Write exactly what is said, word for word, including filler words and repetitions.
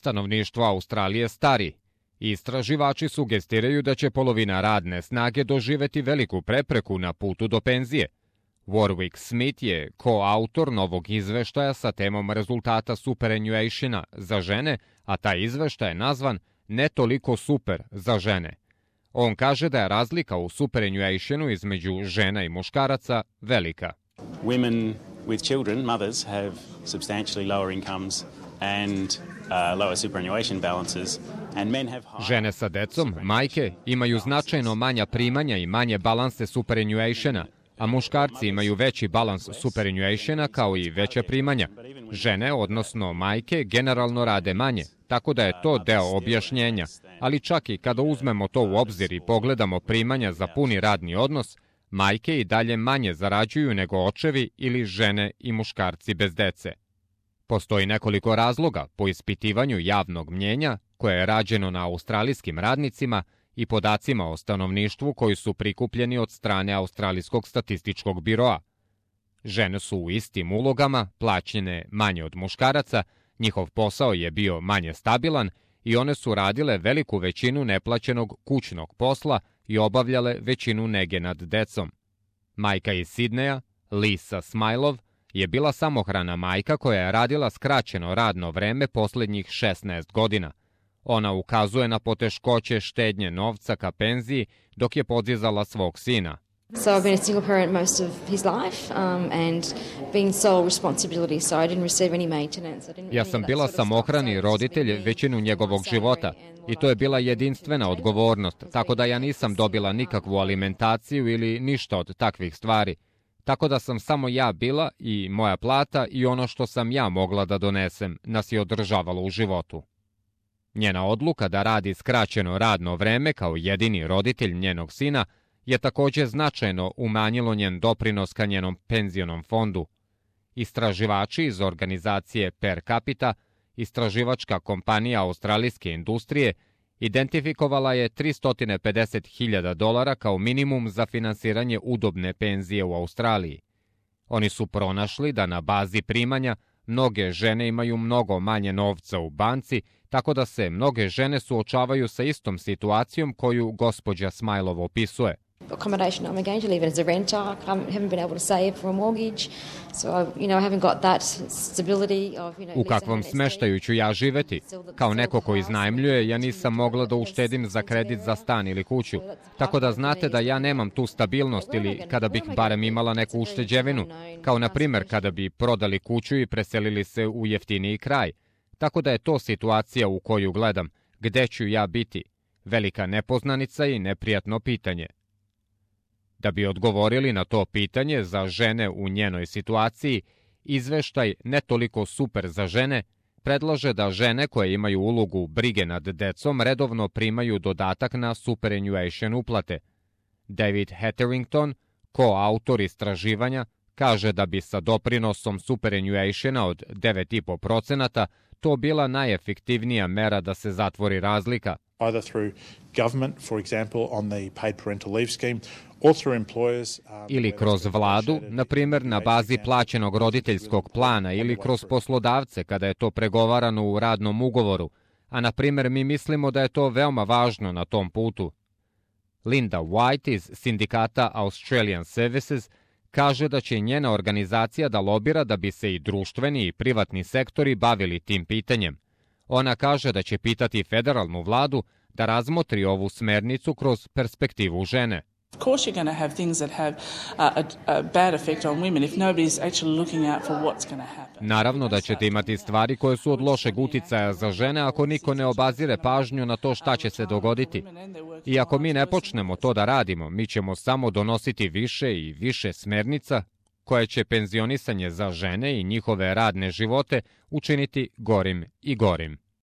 Stanovništvo Australije stari. Istraživači sugestiraju da će polovina radne snage doživeti veliku prepreku na putu do penzije. Warwick Smith je koautor novog izveštaja sa temom rezultata superannuationa za žene, a taj izveštaj je nazvan Ne toliko super za žene. On kaže da je razlika u superannuationu između žena i muškaraca velika. Women with children, mothers, have substantially lower incomes and uh, lower superannuation balances. And men have high... Žene sa decom, majke, imaju značajno manja primanja i manje balanse superannuationa, a muškarci imaju veći balans superannuationa kao i veća primanja. Žene, odnosno majke, generalno rade manje, tako da je to deo objašnjenja, ali čak i kada uzmemo to u obzir i pogledamo primanja za puni radni odnos, majke i dalje manje zarađuju nego očevi ili žene i muškarci bez dece. Postoji nekoliko razloga po ispitivanju javnog mnjenja koje je rađeno na australijskim radnicima i podacima o stanovništvu koji su prikupljeni od strane Australijskog statističkog biroa. Žene su u istim ulogama, plaćene manje od muškaraca, njihov posao je bio manje stabilan i one su radile veliku većinu neplaćenog kućnog posla i obavljale većinu nege nad decom. Majka iz Sidneja, Lisa Smilov, je bila samohrana majka koja je radila skraćeno radno vreme posljednjih šesnaest godina. Ona ukazuje na poteškoće štednje novca ka penziji dok je podizala svog sina. So I've been a single parent most of his life um, and being sole responsibility, so I didn't receive any maintenance. Ja sam bila samohrani roditelj većinu njegovog života i to je bila jedinstvena odgovornost, tako da ja nisam dobila nikakvu alimentaciju ili ništa od takvih stvari. Tako da sam samo ja bila i moja plata i ono što sam ja mogla da donesem nas je održavalo u životu. Njena odluka da radi skraćeno radno vreme kao jedini roditelj njenog sina je također značajno umanjilo njen doprinos ka njenom penzionom fondu. Istraživači iz organizacije Per Capita, istraživačka kompanija australijske industrije, identifikovala je tristo pedeset hiljada dolara kao minimum za finansiranje udobne penzije u Australiji. Oni su pronašli da na bazi primanja mnoge žene imaju mnogo manje novca u banci, tako da se mnoge žene suočavaju sa istom situacijom koju gospođa Smilov opisuje. Accommodation I'm going to live in as a renter. I haven't been able to save for a mortgage, so you know I haven't got that stability of you know. U kakvom smeštaju ću ja živeti? Kao neko ko iznajmljuje, ja nisam mogla da uštedim za kredit za stan ili kuću. Tako da znate da ja nemam tu stabilnost ili kada bih barem imala neku ušteđevinu, kao na primjer kada bi prodali kuću i preselili se u jeftiniji kraj. Tako da je to situacija u koju gledam. Gde ću ja biti? Velika nepoznanica i neprijatno pitanje. Da bi odgovorili na to pitanje za žene u njenoj situaciji, izveštaj Ne toliko super za žene predlaže da žene koje imaju ulogu brige nad decom redovno primaju dodatak na superannuation uplate. David Hetherington, koautor istraživanja, kaže da bi sa doprinosom superannuationa od devet zarez pet posto to bila najefektivnija mera da se zatvori razlika. Either through government, for example, on the paid parental leave scheme, or through employers. Ili kroz vladu, na primjer na bazi plaćenog roditeljskog plana ili kroz poslodavce kada je to pregovarano u radnom ugovoru, a na primjer mi mislimo da je to veoma važno na tom putu. Linda White iz sindikata Australian Services kaže da će njena organizacija da lobira da bi se i društveni i privatni sektori bavili tim pitanjem. Ona kaže da će pitati federalnu vladu da razmotri ovu smernicu kroz perspektivu žene. Of course you're going to have things that have a, a bad effect on women if nobody's actually looking out for what's going to happen. Naravno da ćete imati stvari koje su od lošeg uticaja za žene ako niko ne obazire pažnju na to šta će se dogoditi. I ako mi ne počnemo to da radimo, mi ćemo samo donositi više i više smernica koje će penzionisanje za žene i njihove radne živote učiniti gorim i gorim.